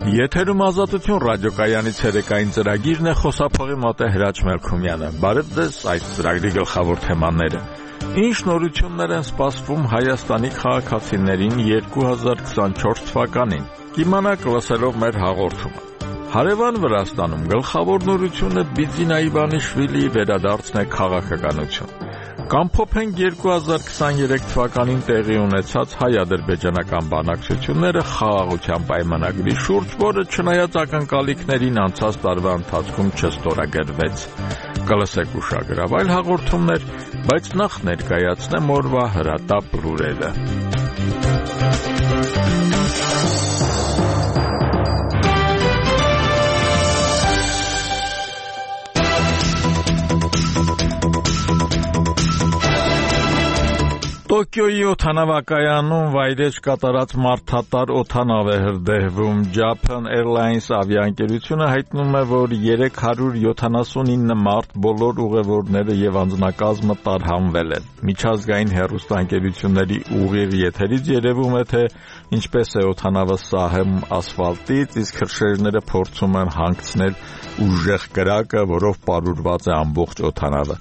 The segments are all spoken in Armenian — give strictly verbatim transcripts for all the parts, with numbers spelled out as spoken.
Եթերում Ազատություն ռադիոկայանի ցերեկային ծրագիրն է, խոսափողի մոտ է Հրաչ Մելքումյանը։ Բարև ձեզ, այս ծրագրի գլխավոր թեմաները։ Ինչ նորություններ են սպասվում Հայաստանի քաղաքացիներին երկու հազար քսանչորս թվականին։ Կիմանաք լսելով մեր հաղորդումը։ Հարևան Վրաստանում գլխավոր նորությունը Բիձին Այվանիշվիլիի վերադարձն է քաղաքականություն։ Կամփոփենք երկու հազար քսաներեք թվականին տեղի ունեցած հայ-ադրբեջանական բանակցությունները խաղաղության պայմանագրի շուրջ, որը չնայած ակնկալիքներին անցած տարվա ընթացքում չստորագրվեց։ Կլսեք ուշագրավ այլ հաղորդումներ, բայց նախ ներկայացնեմ օրվա հրատապ լուրերը։ Տոկիոյի օդանավակայանում վայրէջք կատարած մարդատար օդանավ է հրդեհվում։ Japan Airlines ավիաընկերությունը հայտնում է, որ երեք հարյուր յոթանասունինը մարդ, բոլոր ուղևորները եւ անձնակազմը տարհանվել են։ Միջազգային հեռուստաընկերությունների ուղիղ եթերից երևում է, թե ինչպես է օդանավը սահում ասֆալտից, իսկ հրշեջները փորձում են հանգցնել ուժեղ կրակը, որով պարուրված է ամբողջ օդանավը։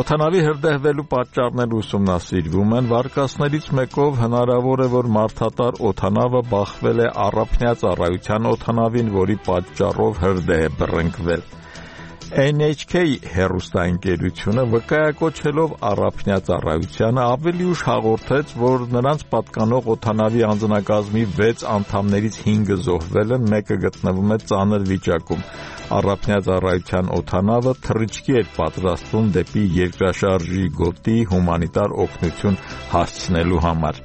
Օդանավի հրդեհվելու պատճառները ուսումնասիրվում են։ Վարկածներից մեկով հնարավոր է, որ մարդատար օդանավը բախվել է առափնյա ծառայության օդանավին, որի պատճառով հրդեհ է բռնկվել։ N H K հեռուստաընկերությունը վկայակոչելով առափնյա ծառայությանը ավելի ուշ հաղորդեց, որ նրանց պատկանող օդանավի անձնակազմի վեց անդամներից հինգը զոհվել են, մեկը գտնվում է ծանր վիճակում։ Առափնյա ծառայության օդանավը թռիչքի էր պատրաստվում դեպի երկրաշարժի գոտի հումանիտար օգնություն հասցնելու համար։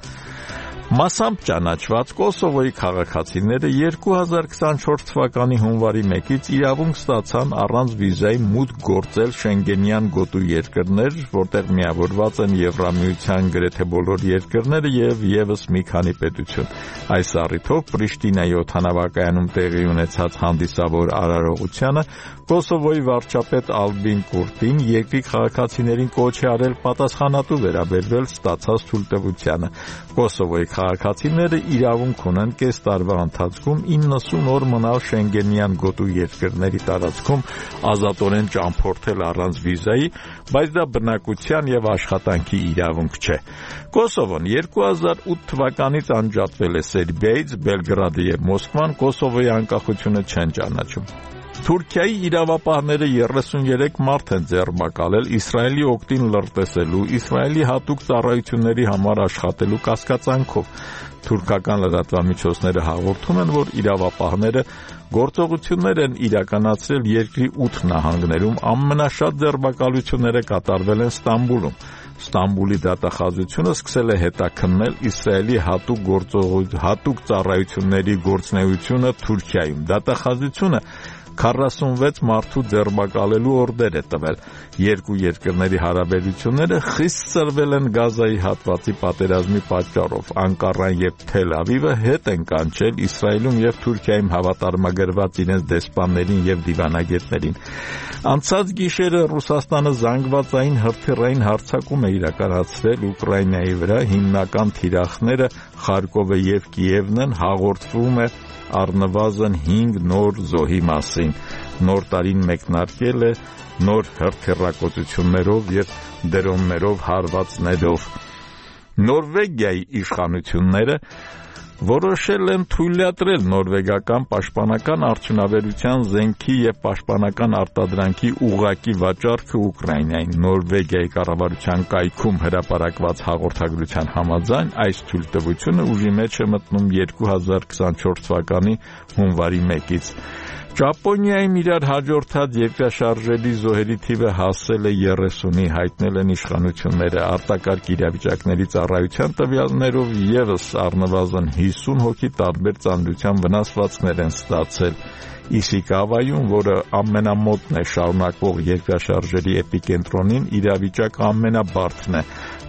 Մասամբ ճանաչված Կոսովոյի քաղաքացիները երկու հազար քսանչորս թվականի հունվարի մեկից իրավունք ստացան առանց վիզայի մուտք գործել Շենգենյան գոտու երկրներ, որտեղ միավորված են Եվրամիության գրեթե բոլոր երկրները եւ եւս մի քանի պետություն։ Այս առիթով Պրիշտինայի օդանավակայանում տեղի ունեցած հանդիսավոր արարողությանը Կոսովոյի վարչապետ Ալբին Կուրտին երկրի քաղաքացիներին կոչ է արել պատասխանատու վերաբերվել ստացած թույլտվությանը։ Կոսովոյի քաղաքացիները իրավունք ունեն կես տարվա ընթացքում իննսուն օր մնալ Շենգենյան գոտու երկրների տարածքում ազատորեն ճամփորդել առանց վիզայի, բայց դա բնակության եւ աշխատանքի իրավունք չէ։ Կոսովոն երկու հազար ութ թվականից անջատվել է Սերբիայից, Բելգրադը եւ Մոսկվան Կոսովոյի անկախությունը չեն ճանաչում։ Թուրքիայի իրավապահները երեսունյերեք մարդ են ձերբակալել Իսրայելի օգտին լրտեսելու, Իսրայելի հատուկ ծառայությունների համար աշխատելու կասկածանքով։ Թուրքական լրատվամիջոցները հաղորդում են, որ իրավապահները գործողություններ են իրականացրել երկրի ութ նահանգներում, ամենաշատ ձերբակալությունները կատարվել են Ստամբուլում։ Ստամբուլի դատախազությունը սկսել է հետաքննել Իսրայելի հատուկ գործողություն, հատուկ ծառայությունների գործունեությունը Թուրքիայում։ Դատախազությունը քառասունվեց մարդու ձերբակալելու օրդեր է տվել։ Երկու երկրների հարաբերությունները խիստ ծրվել են Գազայի հատվածի պատերազմի պատճառով։ Անկարան եւ Թել Ավիվը հետ են կանչել Իսրայելում եւ Թուրքիայում հավատարմագրված իրենց դեսպաններին եւ դիվանագետներին։ Անցած գիշերը Ռուսաստանը զանգվածային հրթիռային հարձակում է իրականացրել Ուկրաինայի վրա, հիմնական թիրախները Խարկովը եւ Կիևն են, հաղորդվում է առնվազն հինգ նոր զոհի մասին։ Նոր տարին մեկնարկել է նոր հրթիռակոծություններով եւ դրոններով հարվածներով։ Նորվեգիայի իշխանությունները որոշել են թույլատրել նորվեգական պաշտպանական արդյունաբերության զենքի եւ պաշտպանական արտադրանքի ուղղակի վաճառքը Ուկրաինային։ Նորվեգիայի կառավարության կայքում հրապարակված հաղորդագրության համաձայն այս թույլտվությունը ուժի մեջ է մտնում երկու հազար քսանչորս թվականի հունվարի մեկից։ Ճապոնիայում իրար հաջորդած երկրաշարժերի զոհերի թիվը հասել է երեսունի, հայտնել են իշխանությունները։ Արտակարգ իրավիճակների ծառայության տվյալներով եւս առնվազն հիսուն հոգի տարբեր ծանրության վնասվածքներ են ստացել։ Իսիկավայում, որը ամենամոտն է շարունակվող երկրաշարժերի էպիկենտրոնին, իրավիճակը ամենաբարդն է։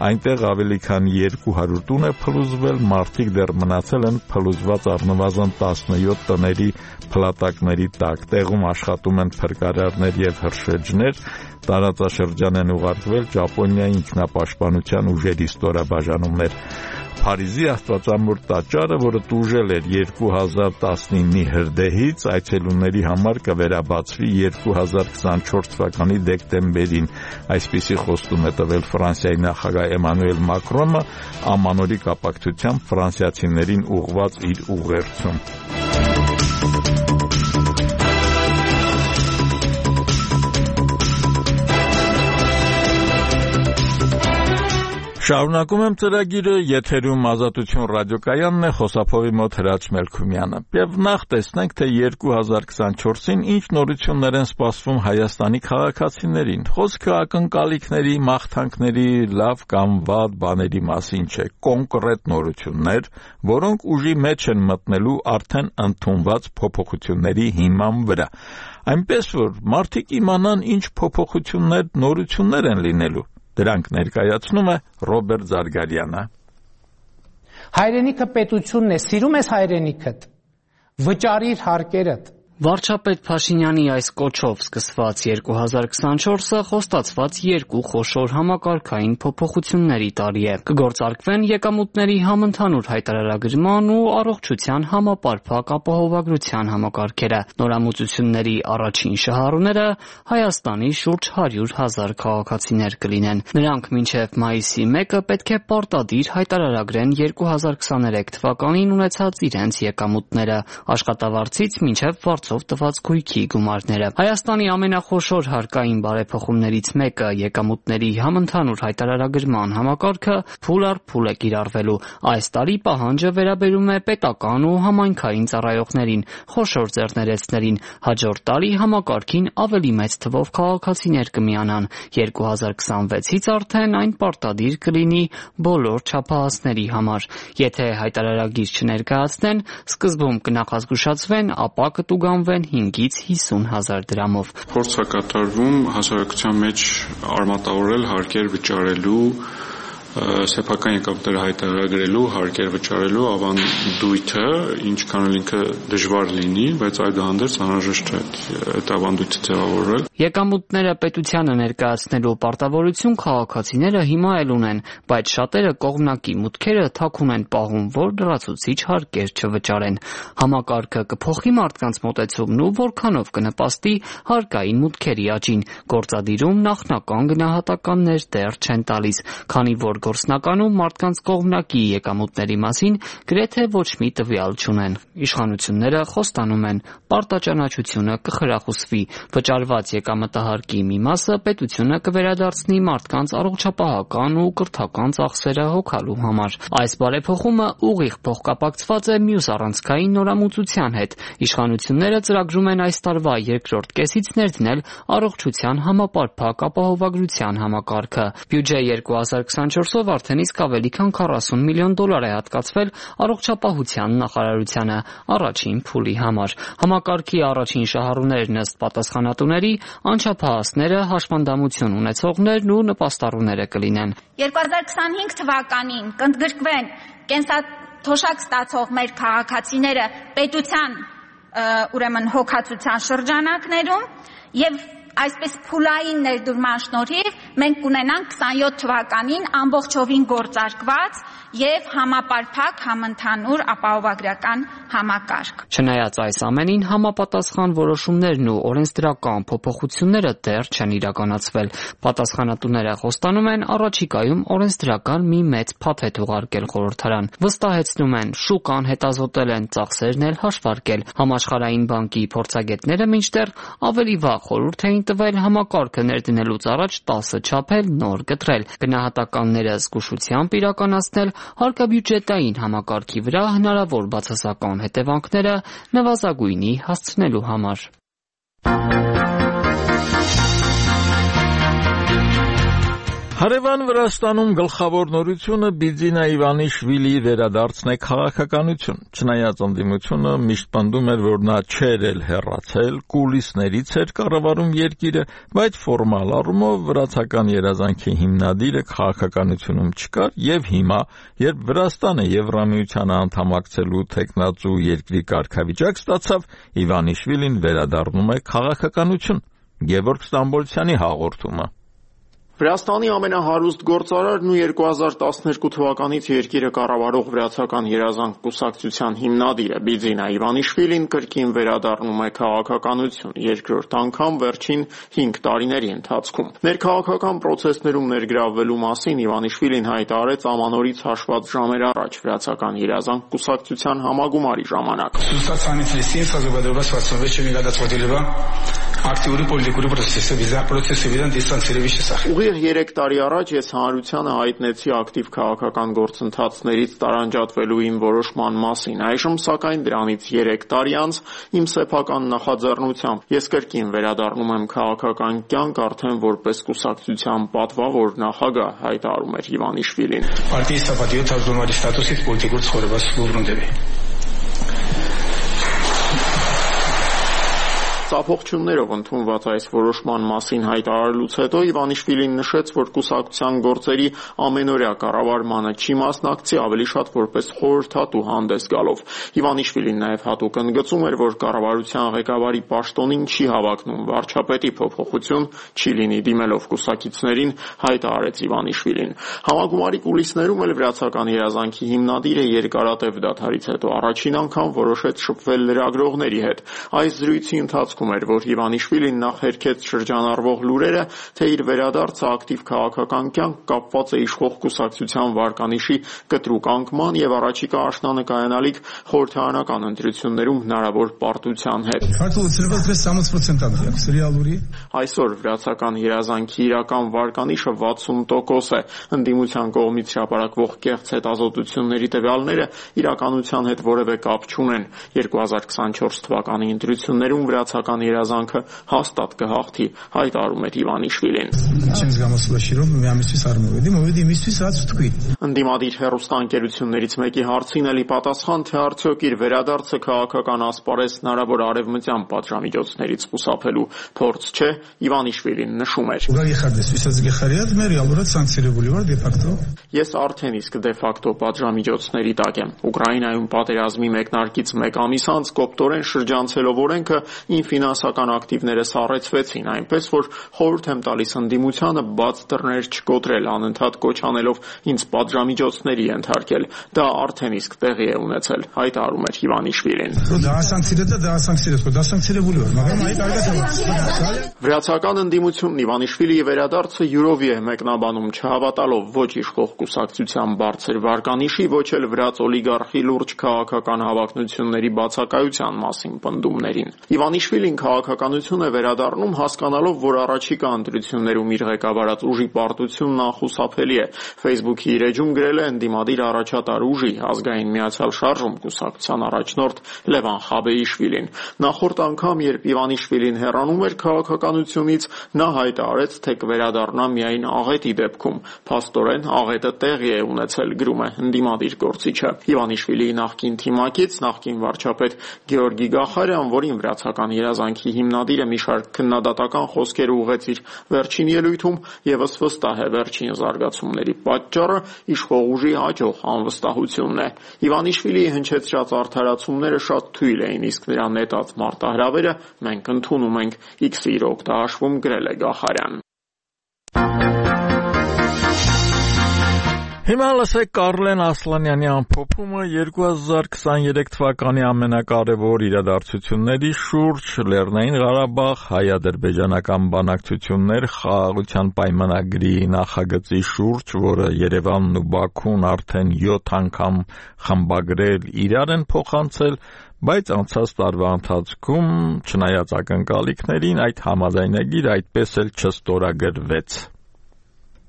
Այնտեղ ավելի քան երկու հարյուր տուն է փլուզվել, մարդիկ դեռ մնացել են փլուզված առնվազն տասնյոթ տների փլատակների տակ։ Տեղում աշխատում են փրկարարներ եւ հրշեջներ։ Տարածաշրջան են ուղարկվել Ճապոնիայի ինքնապաշտպանության ուժերի ստորաբաժանումներ։ Փարիզի Աստվածամոր տաճարը, որը տուժել էր երկու հազար տասնինի հրդեհից, այցելուների համար կվերաբացվի երկու հազար քսանչորս թվականի դեկտեմբերին։ Այսպիսի խոստում է տվել Ֆրանսիայի նախագահ Էմանուել Մակրոնը ամանորի կապակցությամբ ֆրանսիացիներին ուղղված իր ուղերձում։ Շարունակում եմ ծրագիրը, եթերում Ազատություն ռադիոկայանն է, խոսափողի մոտ Հրաչ Մելքումյանը։ Եվ նախ տեսնենք, թե երկու հազար քսանչորսին ինչ նորություններ են սպասվում Հայաստանի քաղաքացիներին։ Խոսքը ակնկալիքների, մաղթանքների, լավ կամ վատ բաների մասին չէ, կոնկրետ նորություններ, որոնք ուժի մեջ են մտնելու արդեն ընդունված փոփոխությունների հիման վրա։ Այնպես որ մարդիկ իմանան ինչ փոփոխություններ, նորություններ են լինելու։ Դրանք ներկայացնում է Ռոբերտ Զարգարյանը։ Հայրենիքը պետությունն է, սիրում ես հայրենիքդ, վճարիր հարկերդ։ Վարչապետ Փաշինյանի այս կոչով սկսված երկու հազար քսանչորսը խոստացված երկու խոշոր համակարգային փոփոխությունների տարի է։ Կգործարկվեն եկամուտների համընդհանուր հայտարարագրման ու առողջության համապարփակ ապահովագրության համակարգերը։ Նորամուծությունների առաջին շահառուները Հայաստանի շուրջ հարյուր հազար քաղաքացիներ կլինեն։ Նրանք մինչև մայիսի մեկը պետք է պարտադիր հայտարարագրեն երկու հազար քսաներեք թվականին ունեցած իրենց եկամուտները, աշխատավարձից մինչև ով տված գույքի գումարները։ Հայաստանի ամենախոշոր հարկային բարեփոխումներից մեկը եկամուտների համընդհանուր հայտարարագրման համակարգը փուլ առ փուլ է կիրառվելու։ Այս տարի պահանջը վերաբերում է պետական ու համայնքային ծառայողներին, խոշոր ձեռներեցներին։ Հաջորդ տարի համակարգին ավելի մեծ թվով քաղաքացիներ կմիանան։ երկու հազար քսանվեցից արդեն այն պարտադիր կլինի բոլոր չափահասների համար։ Եթե հայտարարագիր չներկայացնեն, սկզբում կնախազգուշացվեն, ապա կտուգան հինգից հիսուն հազար դրամով։ Փորձ է կատարվում հասարակության մեջ արմատավորել հարկեր վճարելու, սեփական եկամուտները հայտարարագրելու, հարկեր վճարելու ավանդույթը, ինչքան էլ ինքը դժվար լինի, բայց այդուհանդերձ անհրաժեշտ է այդ ավանդույթը ձևավորել։ Եկամուտները պետությանը ներկայացնելու պարտավորություն քաղաքացիները հիմա էլ ունեն, բայց շատերը կողմնակի մուտքերը թաքուն են պահում, որ լրացուցիչ հարկեր չվճարեն։ Համակարգը կփոխի մարդկանց մոտեցումն ու որքանով կնպաստի հարկային մուտքերի աճին։ Գործադիրում նախնական գնահատականներ դեռ չեն տալիս, քանի որ գործնականում մարդկանց կողմնակի եկամուտների մասին գրեթե ոչ մի տվյալ չունեն։ Իշխանությունները խոստանում են, պարտաճանաչությունը կխրախուսվի, վճարված եկամտահարկի մի մասը պետությունը կվերադարձնի մարդկանց առողջապահական ու կրթական ծախսերը հոգալու համար։ Այս բարեփոխումը ուղիղ փոխկապակցված է մյուս առանցքային նորամուծության հետ։ Իշխանությունները ծրագրում են այս տարվա երկրորդ կեսից ներդնել առողջության համապարփակ ապահովագրության համակարգը։ Բյուջե երկու հազար քսանչորսով արդեն իսկ ավելի քան քառասուն միլիոն դոլար է հատկացվել առողջապահության նախարարությանը առաջին փուլի համար։ Համակարգի առաջին շահառուներն ըստ պատասխանատուների անչափահասները, հաշմանդամություն ունեցողներն ու նպաստառուները կլինեն։ երկու հազար քսանհինգ թվականին կընդգրկվեն կենսաթոշակ ստացող մեր քաղաքացիները պետության ուրեմն հոգացության շրջանակներում եւ այսպես փուլային ներդրման շնորհիվ մենք կունենանք քսանյոթ թվականին ամբողջովին գործարկված եւ համապարփակ համընդհանուր ապահովագրական համակարգ։ Չնայած այս ամենին, համապատասխան որոշումներն ու օրենսդրական փոփոխությունները դեռ չեն իրականացվել։ Պատասխանատուները խոստանում են առաջիկայում օրենսդրական մի մեծ փաթեթ ուղարկել խորհրդարան։ Վստահեցնում են, շուկան հետազոտել են, ծախսերն էլ հաշվարկել։ Համաշխարհային բանկի փորձագետները մինչդեռ ավելի վաղ խորհուրդ էին տվել համակարգը ներդնելուց առաջ տասը չափել նոր կտրել, գնահատականները զգուշությամբ իրականացնել, հարկաբյուջետային համակարգի վրա հնարավոր բացասական հետևանքները նվազագույնի հասցնելու համար։ Հարևան Վրաստանում գլխավոր նորությունը Բիձինա Իվանիշվիլիի վերադարձն է քաղաքականություն։ Չնայած ընդդիմությունը միշտ պնդում էր, որ նա չէր էլ հեռացել, կուլիսներից էր կառավարում երկիրը, բայց ֆորմալ առումով վրացական երազանքի հիմնադիրը քաղաքականությունում չկար, եւ հիմա, երբ Վրաստանը Եվրամիությանը անդամակցելու թեկնածու երկրի կարգավիճակ ստացավ, Իվանիշվիլին վերադառնում է քաղաքականություն։ Գևորգ Ստամբոլցյանի հաղորդումը։ Վրաստանի ամենահարուստ գործարարն ու երկու հազար տասներկու թվականից երկիրը կառավարող վրացական երազանք կուսակցության հիմնադիրը Բիձինա Իվանիշվիլին կրկին վերադառնում է քաղաքականություն երկրորդ անգամ վերջին հինգ տարիների ընթացքում։ Ներքաղաքական պրոցեսներում ներգրավվելու մասին Իվանիշվիլին հայտարարեց ամանորից հաշված ժամեր առաջ վրացական երազանք կուսակցության համագումարի ժամանակ։ Ուղիղ երեք տարի առաջ ես հանրությանը հայտնեցի ակտիվ քաղաքական գործընթացներից տարանջատվելու իմ որոշման մասին։ Այժմ սակայն դրանից երեք տարի անց իմ սեփական նախաձեռնությամբ ես կրկին վերադառնում եմ քաղաքական կյանք արդեն որպես կուսակցության պատվավոր նախագահ, հայտարարում էր Իվանիշվիլին։ Ծափողջուններով ընդունված այս որոշման մասին հայտարարելուց հետո Իվանիշվիլին նշեց, որ կուսակցության գործերի ամենօրյա կառավարմանը չի մասնակցի, ավելի շատ որպես խորհրդատու հանդես գալով։ Իվանիշվիլին նաև հատուկ ընդգծում էր, որ կառավարության ղեկավարի պաշտոնին չի հավակնում վարչապետի փոփոխություն չի լինի դիմելով կուսակիցներին, հայտարարեց Իվանիշվիլին։ Համագումարի կուլիսներում էլ վրացական երազանքի հիմնադիրը երկարատև դադարից հետո առաջին անգամ որոշեց շփվել լրագրողների հետ։ Այս զրույցի ընթացքում էր, որ Իվանիշվիլին նախ հերքեց շրջանառվող լուրերը, թե իր վերադարձը ակտիվ քաղաքական կյանք կապված է իշխող կուսակցության վարկանիշի կտրուկ անկման եւ առաջիկա աշնանկայանալիք խորհրդարանական ընտրություններում հնարավոր պարտության հետ։ Այսօր վրացական երազանքի իրական վարկանիշը վաթսուն տոկոս է։ Ընդդիմության կողմից հրապարակվող կեղծ հետազոտությունների տվյալները իրականության հետ որևէ կապ չունեն։ երկու հազար քսանչորս թվականի ընտրություններում վրացական երազանքը հաստատ կհաղթի, հայտարարում էր Իվանիշվիլին։ Ընդդիմադիր հեռուստաընկերություններից մեկի հարցին էլի պատասխան, թե արդյոք իր վերադարձը քաղաքական ասպարեզ հնարավոր արևմտյան պատժամիջոցներից խուսափելու փորձ չէ, Իվանիշվիլին նշում էր. Ես արդեն իսկ դե ֆակտո պատժամիջոցների տակ եմ։ Ուկրաինայում պատերազմի մեկնարկից մեկ ամիս անց կոպտորեն շրջանցելով օրենքը իմ ֆինանսական ակտիվները սառեցվեցին, այնպես որ խորհուրդ եմ տալիս ընդդիմությանը բաց դռներ չկոտրել, անընդհատ կոչ անելով ինձ պատժամիջոցների ենթարկել։ Դա արդեն իսկ տեղի է ունեցել, հայտարարում էր Իվանիշվիլին։ Վրացական ընդդիմությունն Իվանիշվիլիի վերադարձը յուրովի է մեկնաբանում, չհավատալով ոչ իշխող կուսակցության բարձր վարկանիշի, ոչ էլ վրաց օլիգարխի լուրջ քաղաքական հավակնությունների բացակայության մասին պնդումներին։ Իվանիշվիլին քաղաքականություն է վերադառնում հասկանալով, որ առաջիկա ընտրություններում իր ղեկավարած ուժի պարտությունն անխուսափելի է։ Facebook-ի իր էջում գրել է ընդդիմադիր առաջատար ուժի ազգային միացյալ շարժում կուսակցության առաջնորդ Լևան Խաբեիշվիլին։ Նախորդ անգամ, երբ Իվանիշվիլին հեռանում էր քաղաքականությունից, նա հայտարարեց, թե կվերադառնա միայն աղետի դեպքում։ Փաստորեն աղետը տեղի է ունեցել, գրում է ընդդիմադիր գործիչը։ Իվանիշվիլիի նախկին թիմակից, նախկին վարչապետ Գեորգի Գախարյան, որին վրացական երազանքի հիմնադիրը մի շարք քննադատական խոսքեր ուղղեց իր վերջին ելույթում, եւս վստահ է վերջին զարգացումների պատճառը իշխող ուժի հաջող անվստահությունն է։ Իվանիշվիլիի հնչեցրած արդարացումները շատ թույլ էին, իսկ նրա նետած մարտահրավերը մենք ընդունում ենք, X-ի իր օգտահաշվում գրել է Գախարյան։ Հիմա լսեք Կարլեն Ասլանյանի ամփոփումը երկու հազար քսաներեք թվականի ամենակարևոր իրադարձությունների շուրջ Լեռնային Ղարաբաղ հայ-ադրբեջանական բանակցություններ խաղաղության պայմանագրի նախագծի շուրջ, որը Երևանն ու Բաքուն արդեն յոթ անգամ խմբագրել իրար են փոխանցել, բայց անցած տարվա ընթացքում, չնայած ակնկալիքներին, այդ համաձայնագիր այդպես էլ չստորագրվեց։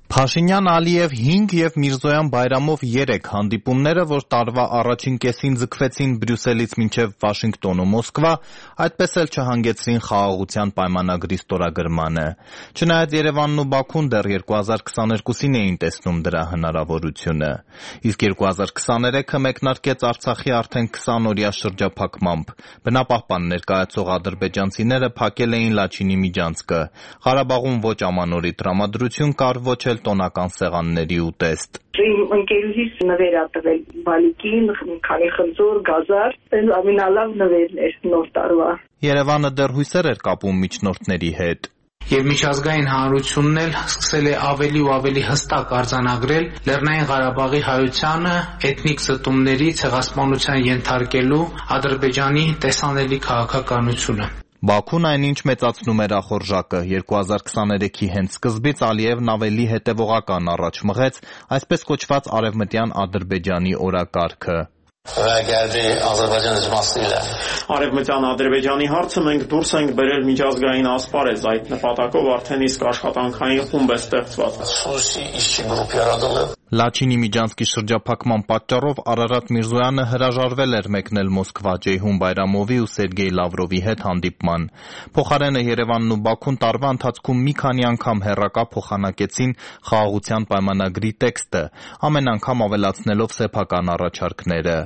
Փաշինյան, Ալիև հինգ և Միրզոյան Բայրամով երեք հանդիպումները, որ տարվա առաջին կեսին ձգվեցին Բրյուսելից մինչև Վաշինգտոն ու Մոսկվա, այդպես էլ չհանգեցրին խաղաղության պայմանագրի ստորագրմանը։ Չնայած Երևանն ու Բաքուն դեռ երկու հազար քսաներկուսին էին տեսնում դրա հնարավորությունը։ Իսկ երկու հազար քսաներեքը մեկնարկեց Արցախի արդեն քսանօրյա շրջափակմամբ։ Բնապահպան ներկայացող ադրբեջանցիները փակել էին Լաչինի միջանցքը։ Ղարաբաղում ոչ ամանորի տրամադրություն կար, ոչ էլ տոնական սեղանների ուտեստ։ Իմ ընկերուհիս նվեր ա տվել բալիկին, քանի խնձոր, գազար, ամենալավ նվերն էր նոր տարվա։ Երևանը դեռ հույսեր էր կապում միջնորդների հետ։ Եվ միջազգային հանրությունն էլ սկսել է ավելի ու ավելի հստակ արձանագրել Լեռնային Ղարաբաղի հայությանը էթնիկ զտումների ցեղասպանության ենթարկելու Ադրբեջանի տեսանելի քաղաքականությունը։ Բաքուն այնինչ մեծացնում էր ախորժակը։ երկու հազար քսաներեքի հենց սկզբից Ալիևն ավելի հետևողական առաջ մղեց այսպես կոչված արևմտյան Ադրբեջանի օրակարգը։ Արևմտյան Ադրբեջանի հարցը մենք դուրս ենք բերել միջազգային ասպարեզ, այդ նպատակով արդեն իսկ աշխատանքային խումբ է ստեղծված։ Լաչինի Միջանցքի շրջափակման պատճառով Արարատ Միրզոյանը հրաժարվել էր մեկնել Մոսկվա Ջեյհուն Բայրամովի ու Սերգեյ Լավրովի հետ հանդիպման։ Փոխարենը Երևանն ու Բաքուն տարվա ընթացքում մի քանի անգամ հեռակա փոխանակեցին խաղաղության պայմանագրի տեքստը, ամեն անգամ ավելացնելով սեփական առաջարկները։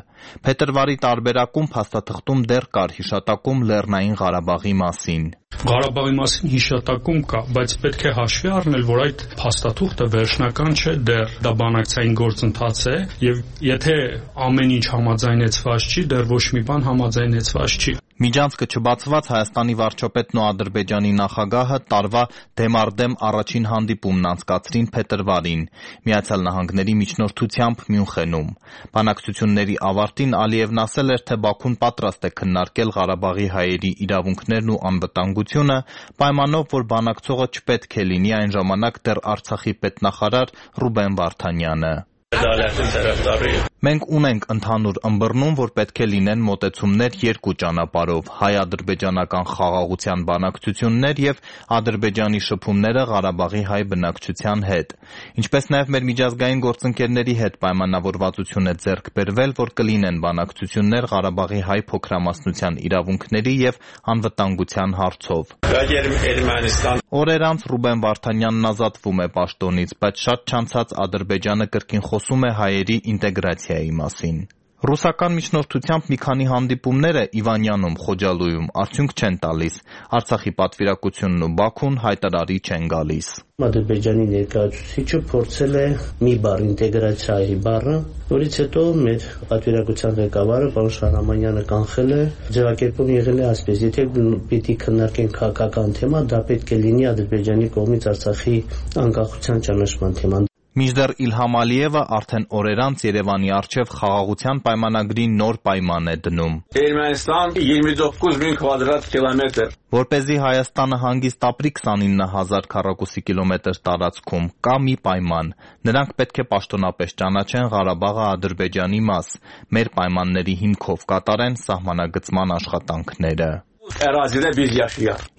Փետրվարի տարբերակում փաստաթղթում դեռ կար հիշատակում Լեռնային Ղարաբաղի մասին։ Ղարաբաղի մասին հիշատակում կա, բայց պետք է հաշվի առնել, որ այդ փաստաթուղթը վերջնական չէ դեռ, դա բանակցային գործընթաց է, եւ եթե ամեն ինչ համաձայնեցված չի, դեռ ոչ մի բան համաձայնեցված չի։ Միջանցքը չբացված Հայաստանի վարչապետն ու Ադրբեջանի նախագահը տարվա դեմարդեմ առաջին հանդիպումն անցկացրին փետրվարին Միացյալ Նահանգների միջնորդությամբ Մյունխենում։ Բանակցությունների ավարտին Ալիևն ասել էր, թե Բաքուն պատրաստ է քննարկել Ղարաբաղի հայերի իրավունքներն ու անվտանգությունը, պայմանով, որ բանակցողը չպետք է լինի այն ժամանակ դեռ Արցախի պետնախարար Ռուբեն Վարդանյանը։ Մենք ունենք ընդհանուր ըմբռնում, որ պետք է լինեն մոտեցումներ երկու ճանապարհով՝ հայ-ադրբեջանական խաղաղության բանակցություններ եւ Ադրբեջանի շփումները Ղարաբաղի հայ բնակչության հետ։ Ինչպես նաեւ մեր միջազգային գործընկերների հետ պայմանավորվածություն է ձեռք բերվել, որ կլինեն բանակցություններ Ղարաբաղի հայ փոքրամասնության իրավունքների եւ անվտանգության հարցով։ Օրեր անց Ռուբեն Վարդանյանն ազատվում է պաշտոնից, բայց շատ չանցած Ադրբեջանը կրկին խոսում է հայերի ինտեգրացիայի մասին։ Ռուսական միջնորդությամբ մի քանի հանդիպումները Իվանյանում, Խոջալույում արդյունք չեն տալիս։ Արցախի պատվիրակությունն ու Բաքուն հայտարարի չեն գալիս։ Ադրբեջանի ներկայացուցիչը փորձել է մի բառ ինտեգրացիայի բառը, որից հետո մեր պատվիրակության ղեկավարը պարոն Շահրամանյանը կանխել է, ձևակերպում եղել է այսպես. եթե պիտի քննարկենք քաղաքական թեմա, դա պետք է լինի Ադրբեջանի կողմից Արցախի անկախության ճանաչման թեման։ Մինչդեռ Իլհամ Ալիևը արդեն օրեր անց Երևանի առջև խաղաղության պայմանագրի նոր պայման է դնում։ Ermənistan յիսուն տոկոս մին կվադրատ կիլոմետր։ Որպեսզի Հայաստանը հանգիստ ապրի քսանինը հազար քառակուսի կիլոմետր տարածքում, կա մի պայման. նրանք պետք է պաշտոնապես ճանաչեն Ղարաբաղը Ադրբեջանի մաս, մեր պայմանների հիմքով կատարեն սահմանագծման աշխատանքները։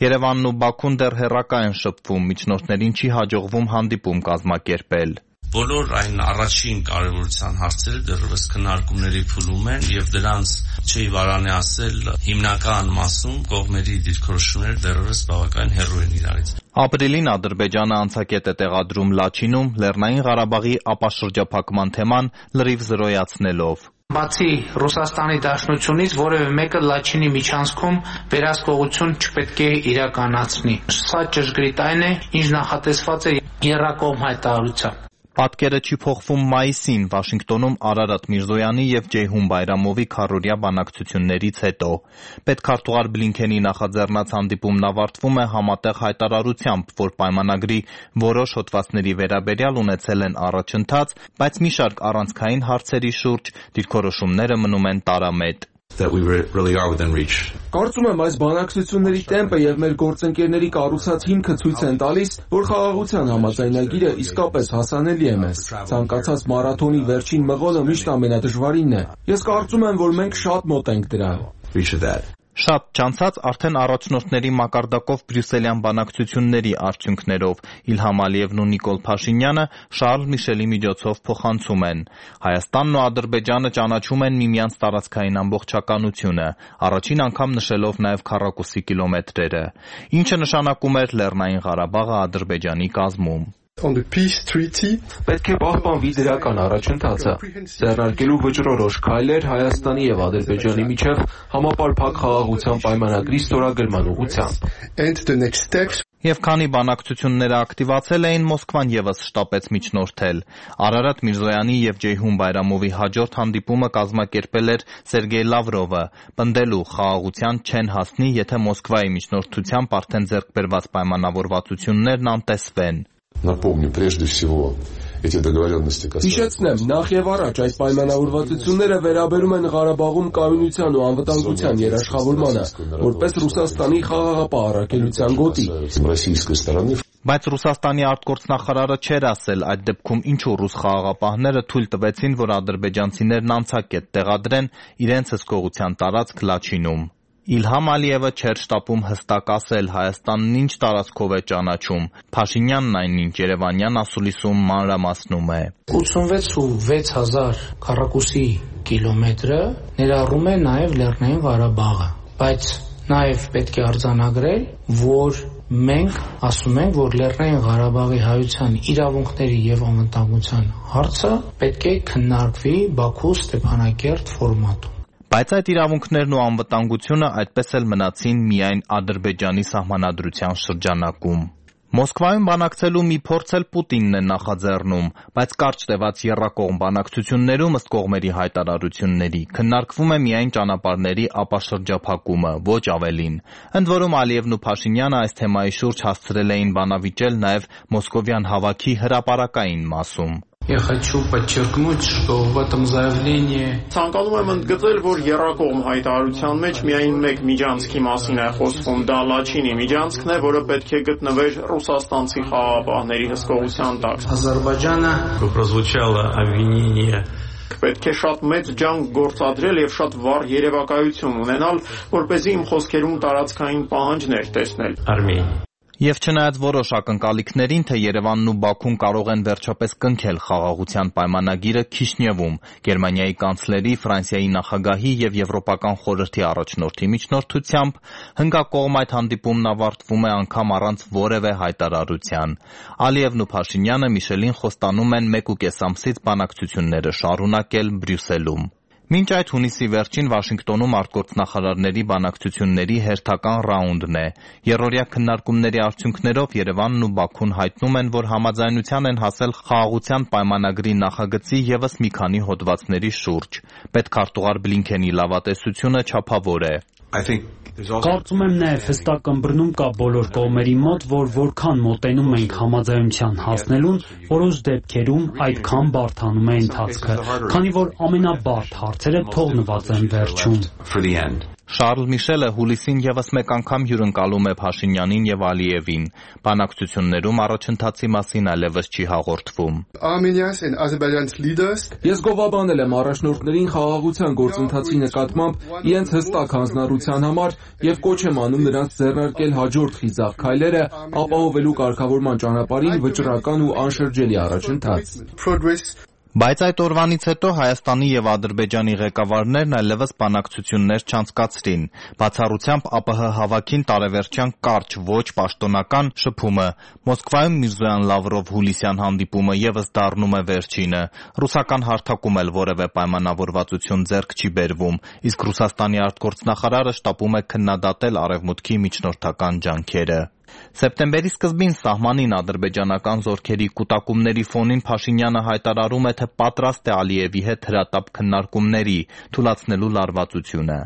Երևանն ու Բաքուն դեռ հեռակա են շփվում, միջնորդներին չի հաջողվում հանդիպում կազմակերպել։ Բոլոր այն առաջին կարևորության հարցերը դեռևս քննարկումների փուլում են եւ դրանց չի վարանի ասել հիմնական մասում կողմերի դիրքորոշումները դեռևս բավական հեռու են իրարից։ Ապրիլին Ադրբեջանը անցակետ է տեղադրում Լաչինում Լեռնային Ղարաբաղի ապաշրջափակման թեման լրիվ զրոյացնելով։ Բացի Ռուսաստանի Դաշնությունից որևէ մեկը Լաչինի միջանցքում վերահսկողություն չպետք է իրականացնի։ Սա ճշգրիտ այն է, ինչ նախատեսված է եռակողմ հայտարարությամբ։ Պատկերը չի փոխվում մայիսին Վաշինգտոնում Արարատ Միրզոյանի եւ Ջեյհուն Բայրամովի քառօրյա բանակցություններից հետո։ Պետքարտուղար Բլինքենի նախաձեռնած հանդիպումն ավարտվում է համատեղ հայտարարությամբ, որ պայմանագրի որոշ հոդվածների վերաբերյալ ունեցել են առաջընթաց, բայց մի շարք առանցքային հարցերի շուրջ դիրքորոշումները մնում են տարամետ։ Կարծում եմ այս բանակցությունների տեմպը եւ մեր գործընկերների կառուցած հիմքը ցույց են տալիս, որ խաղաղության համաձայնագիրը իսկապես հասանելի է մեզ։ Ցանկացած մարաթոնի վերջին մղոնը միշտ ամենադժվարինն է։ Ես կարծում եմ, որ մենք շատ մոտ ենք դրան։ Շատ չանցած արդեն առաջնորդների մակարդակով բրյուսելյան բանակցությունների արդյունքներով Իլհամ Ալիևն ու Նիկոլ Փաշինյանը Շարլ Միշելի միջոցով փոխանցում են։ Հայաստանն ու Ադրբեջանը ճանաչում են միմյանց տարածքային ամբողջականությունը, առաջին անգամ նշելով նաև քառակուսի կիլոմետրերը, ինչը նշանակում էր Լեռնային Ղարաբաղը Ադրբեջանի կազմում։ Պետք է պահպանվի դրական առաջընթացը, ձեռնարկելու վճռորոշ քայլեր Հայաստանի եւ Ադրբեջանի միջև համապարփակ խաղաղության պայմանագրի ստորագրման ուղղությամբ։ Եվ քանի բանակցությունները ակտիվացել էին, Մոսկվան ևս շտապեց միջնորդել։ Արարատ Միրզոյանի և Ջեյհուն Բայրամովի հաջորդ հանդիպումը կազմակերպել էր Սերգեյ Լավրովը, պնդելու խաղաղության չեն հասնի, եթե Մոսկվայի միջնորդությամբ արդեն ձեռք բերված պայմանավորվածություններն անտեսվեն։ Հիշեցնեմ, նախ եւ առաջ այս պայմանավորվածությունները վերաբերում են Ղարաբաղում կայունության ու անվտանգության երաշխավորմանը, որպես Ռուսաստանի խաղաղապահ առաքելության գոտի։ Բայց Ռուսաստանի արտգործնախարարը չէր ասել այդ դեպքում ինչու ռուս խաղաղապահները թույլ տվեցին, որ ադրբեջանցիներն անցակետ տեղադրեն իրենց հսկողության տարածք Լաչինում։ Իլհամ Ալիևը չէր շտապում հստակ ասել Հայաստանն ինչ տարածքով է ճանաչում։ Փաշինյանն այնինչ Երևանյան ասուլիսում մանրամասնում է։ ութսունվեց ու վեց հազար քառակուսի կիլոմետրը ներառում է նաև Լեռնային Ղարաբաղը, բայց նաև պետք է արձանագրել, որ մենք ասում ենք, որ Լեռնային Ղարաբաղի հայության իրավունքների եւ անվտանգության հարցը պետք է քննարկվի Բաքու Ստեփանակերտ ֆորմատում։ Բայց այդ իրավունքներն ու անվտանգությունը այդպես էլ մնացին միայն Ադրբեջանի սահմանադրության շրջանակում։ Մոսկվայում բանակցելու մի փորձ էլ Պուտինն է նախաձեռնում, բայց կարճ տևած եռակողմ բանակցություններում ըստ կողմերի հայտարարությունների քննարկվում է միայն ճանապարհների ապաշրջափակումը, ոչ ավելին։ Ընդ որում Ալիևն ու Փաշինյանը այս թեմայի շուրջ հասցրել էին բանավիճել նաև մոսկովյան հավաքի հրապարակային մասում։ Я хочу подчеркнуть, что в этом заявлении Ցանկանում եմ ընդգծել, որ եռակողմ հայտարարության մեջ միայն մեկ միջանցքի մասին է խոսվում, դա Լաչինի միջանցքն է, որը պետք է գտնվեր ռուսաստանցի խաղաղապահների հսկողության տակ։ Ադրբեջանը прозвучало обвинение Պետք է շատ մեծ ջանք գործադրել եւ շատ վառ երևակայություն ունենալ, որպեսզի իմ խոսքերում տարածքային պահանջներ տեսնել։ Արմենիա Եվ չնայած որոշ ակնկալիքներին, թե Երևանն ու Բաքուն կարող են վերջապես կնքել խաղաղության պայմանագիրը Քիշնևում, Գերմանիայի կանցլերի, Ֆրանսիայի նախագահի եւ Եվրոպական խորհրդի առաջնորդի միջնորդությամբ, հնգակողմ այդ հանդիպումն ավարտվում է անգամ առանց որևէ հայտարարության։ Ալիևն ու Փաշինյանը Միշելին խոստանում են մեկ ու կես ամսից բանակցությունները շարունակել Բրյուսելում։ Մինչ այդ հունիսի վերջին Վաշինգտոնում արտգործնախարարների բանակցությունների հերթական ռաունդն է։ Եռօրյա քննարկումների արդյունքներով Երևանն ու Բաքուն հայտնում են, որ համաձայնության են հասել խաղաղության պայմանագրի նախագծի ևս մի քանի հոդվածների շուրջ։ Պետքարտուղար Բլինքենի լավատեսությունը չափավոր է։ Կարծում եմ նաև հստակ ըմբռնում կա բոլոր կողմերի մոտ, որ որքան մոտենում ենք համաձայնության հասնելուն, որոշ դեպքերում այդքան բարդանում է ընթացքը, քանի որ ամենաբարդ հարցերը թողնված են վերջում։ Շարլ Միշելը հուլիսին ևս մեկ անգամ հյուրընկալում է Փաշինյանին եւ Ալիևին։ Բանակցություններում առաջընթացի մասին այլևս չի հաղորդվում։ Ես գովաբանել եմ առաջնորդներին խաղաղության գործընթացի նկատմամբ իրենց հստակ հանձնառության համար եւ կոչ եմ անում նրանց ձեռնարկել հաջորդ խիզախ քայլերը ապահովելու կարգավորման ճանապարհին վճռական ու անշրջելի առաջընթաց։ Բայց այդ օրվանից հետո Հայաստանի եւ Ադրբեջանի ղեկավարներն այլևս բանակցություններ չանցկացրին։ Բացառությամբ ԱՊՀ հավաքին տարեվերջյան կարճ ոչ պաշտոնական շփումը։ Մոսկվայում Միրզոյան-Լավրով հուլիսյան հանդիպումը ևս դառնում է վերջինը։ Ռուսական հարթակում էլ որևէ պայմանավորվածություն ձեռք չի բերվում, իսկ Ռուսաստանի արտգործնախարարը շտապում է քննադատել Արևմուտքի միջնորդական ջանքերը։ Սեպտեմբերի սկզբին սահմանին ադրբեջանական զորքերի կուտակումների ֆոնին Փաշինյանը հայտարարում է, թե պատրաստ է Ալիևի հետ հրատապ քննարկումների, թուլացնելու լարվածությունը։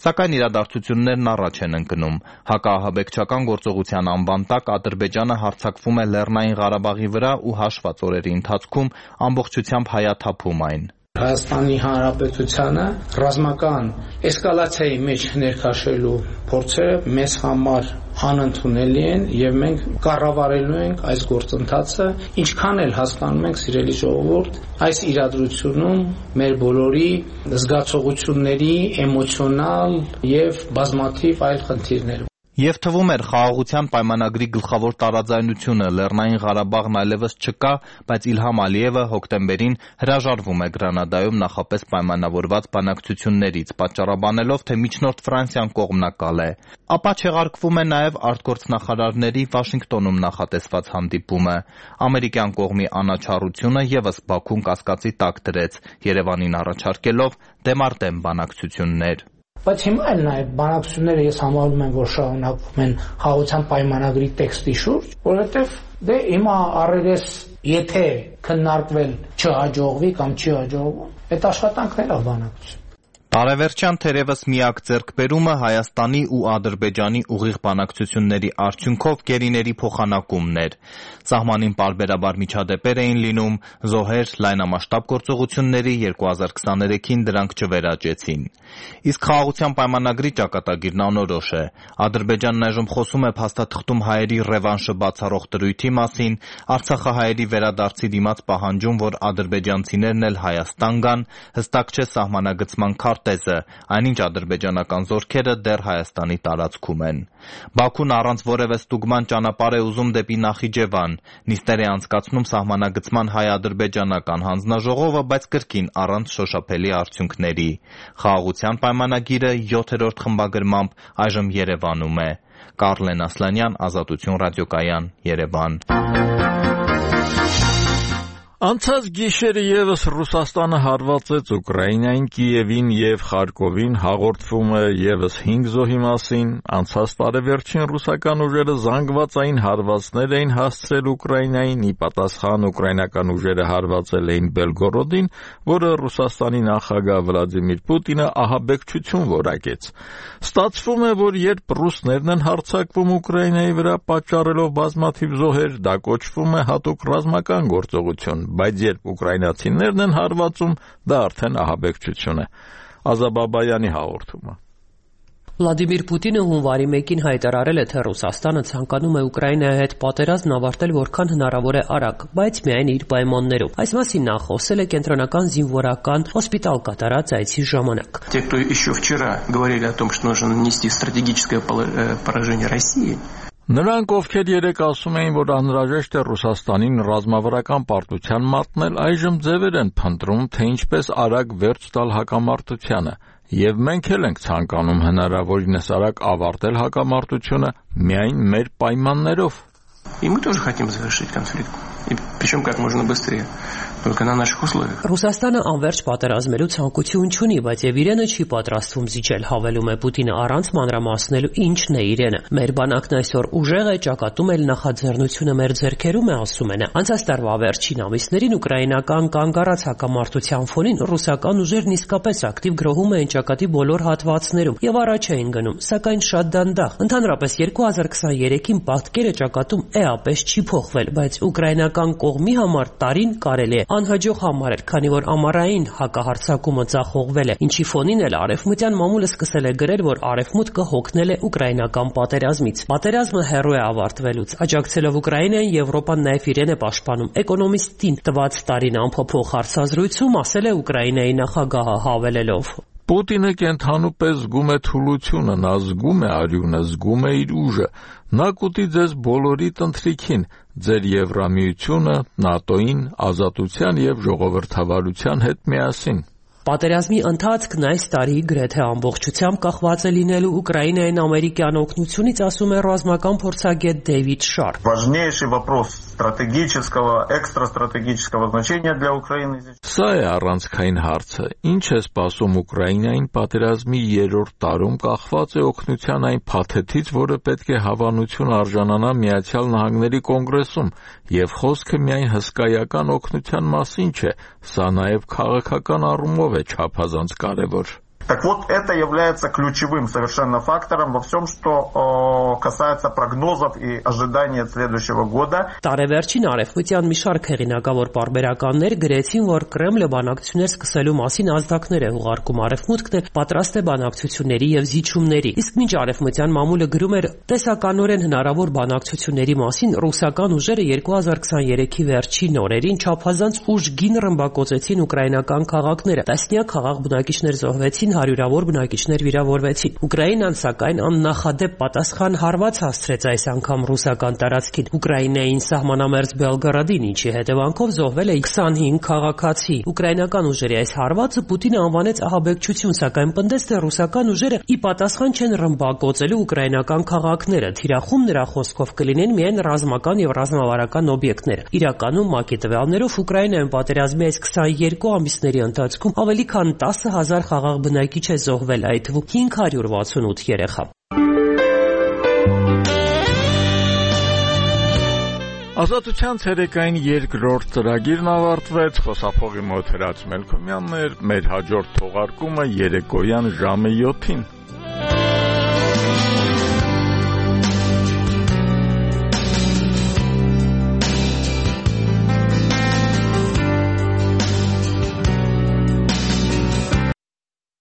Սակայն իրադարձություններն առաջ են ընկնում։ Հակաահաբեկչական գործողության անվան տակ Ադրբեջանը հարձակվում է Լեռնային Ղարաբաղի վրա ու հաշված օրերի ընթացքում ամբողջությամբ հայաթափում այն։ Հայաստանի Հանրապետությանը ռազմական էսկալացիայի մեջ ներքաշելու փորձերը մեզ համար անընդունելի են եւ մենք կառավարելու ենք այս գործընթացը, ինչքան էլ հասկանում ենք, սիրելի ժողովուրդ, այս իրադրությունում մեր բոլորի զգացողությունների էմոցիոնալ եւ բազմաթիվ այլ խնդիրներ։ Եվ թվում էր խաղաղության պայմանագրի գլխավոր տարաձայնությունը Լեռնային Ղարաբաղն այլևս չկա, բայց Իլհամ Ալիևը հոկտեմբերին հրաժարվում է Գրանադայում նախապես պայմանավորված բանակցություններից, պատճառաբանելով, թե միջնորդ Ֆրանսիան կողմնակալ է։ Ապա չեղարկվում է նաև արտգործնախարարների Վաշինգտոնում նախատեսված հանդիպումը։ Ամերիկյան կողմի անաչառությունը ևս Բաքուն կասկածի տակ դրեց, Երևանին առաջարկելով դեմարտեմ բանակցություններ։ Բայց հիմա էլ նաև բանակցությունները ես համարում եմ, որ շարունակվում են խաղաղության պայմանագրի տեքստի շուրջ, որովհետև դե հիմա առերես եթե քննարկվել չհաջողվի կամ չի հաջողվում, այդ աշխատանքն է բանակցություն։ Տարեվերջյան թերևս միակ ձեռքբերումը Հայաստանի ու Ադրբեջանի ուղիղ բանակցությունների արդյունքով գերիների փոխանակումն էր։ Սահմանին պարբերաբար միջադեպեր էին լինում, զոհեր, լայնամասշտաբ գործողությունների երկու հազար քսաներեքին դրանք չվերաճեցին։ Իսկ խաղաղության պայմանագրի ճակատագիրն անորոշ է։ Ադրբեջանն այժմ խոսում է փաստաթղթում հայերի ռևանշը բացառող դրույթի մասին, արցախահայերի վերադարձի դիմաց պահանջում, որ ադրբեջանցիներն էլ Հայաստան գան, հստակ չէ սահմանագծման քարտեզը, այնինչ ադրբեջանական զորքերը դեռ Հայաստանի տարածքում են։ Բաքուն առանց որևէ ստուգման ճանապարհ է ուզում դեպի Նախիջևան, նիստեր է անցկացնում սահմանագծման հայ-ադրբեջանական հանձնաժողովը, բայց կրկին առանց շոշափելի արդյունքների։ Խաղաղության պայմանագիրը յոթերորդ խմբագրմամբ այժմ Երևանում է։ Կարլեն Ասլանյան, Ազատություն ռադիոկայան, Երևան։ Անցած գիշերը ևս Ռուսաստանը հարվածեց Ուկրաինային, Կիևին եւ Խարկովին, հաղորդվում է ևս հինգ զոհի մասին։ Անցած տարեվերջին ռուսական ուժերը զանգվածային հարվածներ էին հասցրել Ուկրաինային, ի պատասխան ուկրաինական ուժերը հարվածել էին Բելգորոդին, որը Ռուսաստանի նախագահ Վլադիմիր Պուտինը ահաբեկչություն որակեց։ Ստացվում է, որ երբ ռուսներն են հարձակվում Ուկրաինայի վրա, պատճառելով բազմաթիվ զոհեր, դա կոչվում է հատուկ ռազմական գործողություն, բայց երբ ուկրաինացիներն են հարվածում, դա արդեն ահաբեկչություն է։ Ազաբաբայանի հաղորդումը։ Վլադիմիր Պուտինը հունվարի մեկին հայտարարել է, թե Ռուսաստանը ցանկանում է Ուկրաինայի հետ պատերազմն ավարտել որքան հնարավոր է արագ, բայց միայն իր պայմաններով։ Այս մասին նա խոսել է կենտրոնական զինվորական հոսպիտալ կատարած այցի ժամանակ։ Те, кто еще вчера говорили о том, что нужно нанести стратегическое поражение России, Նրանք, ովքեր երեկ ասում էին, որ անհրաժեշտ է Ռուսաստանին ռազմավարական պարտության մատնել, այժմ ձևեր են փնտրում, թե ինչպես արագ վերջ տալ հակամարտությանը, եւ մենք էլ ենք ցանկանում հնարավորինս արագ ավարտել հակամարտությունը միայն մեր պայմաններով։ И мы тоже хотим завершить конфликт, и причем как можно быстрее. Только на наших условиях. Ռուսաստանը անverջ պատերազմելու ցանկություն չունի, բայց եւ իրենը չի պատրաստվում զիջել, հավելում է Պուտինը առանց մանրամասնելու ինչն է իրենը։ Մեր բանակն այսօր ուժեղ է, ճակատում էլ նախաձեռնությունը մեր ձեռքերում է, ասում է նա։ Անցած տարվա վերջին ամիսներին ուկրաինական կանգ առած հակամարտության ֆոնին ռուսական ուժերն իսկապես ակտիվ գրոհում էին ճակատի բոլոր հատվածներում եւ առաջ էին գնում, սակայն շատ դանդաղ։ Ընդհանրապես երկու հազար քսաներեքին պատկերը ճակատում էապես չի փոխվել, բայց ուկրաինական կողմի համար տարին կարելի է անհաջող համարել, քանի որ ամառային հակահարձակումը ձախողվել է, ինչի ֆոնին էլ արևմտյան մամուլը սկսել է գրել, որ արևմուտքը հոգնել է ուկրաինական պատերազմից։ Պատերազմը հեռու է ավարտվելուց, աջակցելով Ուկրաինային, Եվրոպան նաև իրեն է պաշտպանում։ Էկոնոմիստին տված տարին անփոփոխ հարցազրույցում ասել է Ուկրաինայի նախագահը, հավելելով. Պուտինը կենթանու պես զգում է թուլությունը, նա զգում է արյունը, զգում է իր ուժը, նա կուտի ձեզ բոլորիդ ընթրիքին, ձեր Եվրամիությունը, ՆԱՏՕ-ին, ազատության եւ ժողովրդավարության հետ միասին։ Պատերազմի ընթացքն այս տարի գրեթե ամբողջությամբ կախված է լինելու Ուկրաինային ամերիկյան օգնությունից, ասում է ռազմական փորձագետ Դեյվիդ Շարփ։ Важнейший вопрос стратегического, экстрастратегического значения для Украины. Սա է առանցքային հարցը։ Ինչ է սպասում Ուկրաինային պատերազմի երրորդ տարում, կախված է օգնության այն փաթեթից, որը պետք է հավանություն արժանանա Միացյալ Նահանգների կոնգրեսում, եւ խոսքը միայն հսկայական օգնության մասին չէ, սա նաեւ քաղաքական առումով է չափազանց կարևոր։ Так вот, это является ключевым совершенно фактором во всем, что о, касается прогнозов и ожиданий от следующего года. Տարեվերջին արևմտյան մի շարք հեղինակավոր պարբերականներ գրեցին, որ Կրեմլը բանակցություններ սկսելու մասին ազդակներ է ուղարկում, արևմուտքն է պատրաստ է բանակցությունների եւ զիջումների։ Իսկ մինչ արևմտյան մամուլը գրում էր տեսականորեն հնարավոր բանակցությունների մասին, ռուսական ուժերը երկու հազար քսաներեքի վերջին օրերին չափազանց ուժգին ռմբակոծեցին ուկրաինական քաղաքները։ Տասնյակ խաղաղ բնակիչներ զոհվեցին, հարյուրավոր բնակիչներ վիրավորվեցին։ Ուկրաինան սակայն աննախադեպ պատասխան հարված հասցրեց այս անգամ ռուսական տարածքին Ուկրաինային սահմանամերձ Բելգորոդին, ինչի հետևանքով զոհվել է քսանհինգ քաղաքացի։ Ուկրաինական ուժերի այս հարվածը Պուտինը անվանեց ահաբեկչություն, սակայն պնդեց, թե ռուսական ուժերը ի պատասխան չեն ռմբակոծելու ուկրաինական քաղաքները, թիրախում նրա խոսքով կլինեն միայն ռազմական եւ ռազմավարական օբյեկտներ։ Իրականում ՄԱԿ-ի տվյալներով Ուկրաինայում պատերազմի այս քսաներկու ամիսների ընթացքում ավելի քան տասը հազար խաղաղ բնակիչ մեկի չէ զոհվել, այդ թվում հինգ հարյուր վաթսունութ երեխա։ Ազատության ցերեկային երկրորդ ծրագիրն ավարտվեց, խոսափողի մոտ Հրաց Մելքոմյանն էր, մեր հաջորդ թողարկումը երեկոյան ժամը յոթին։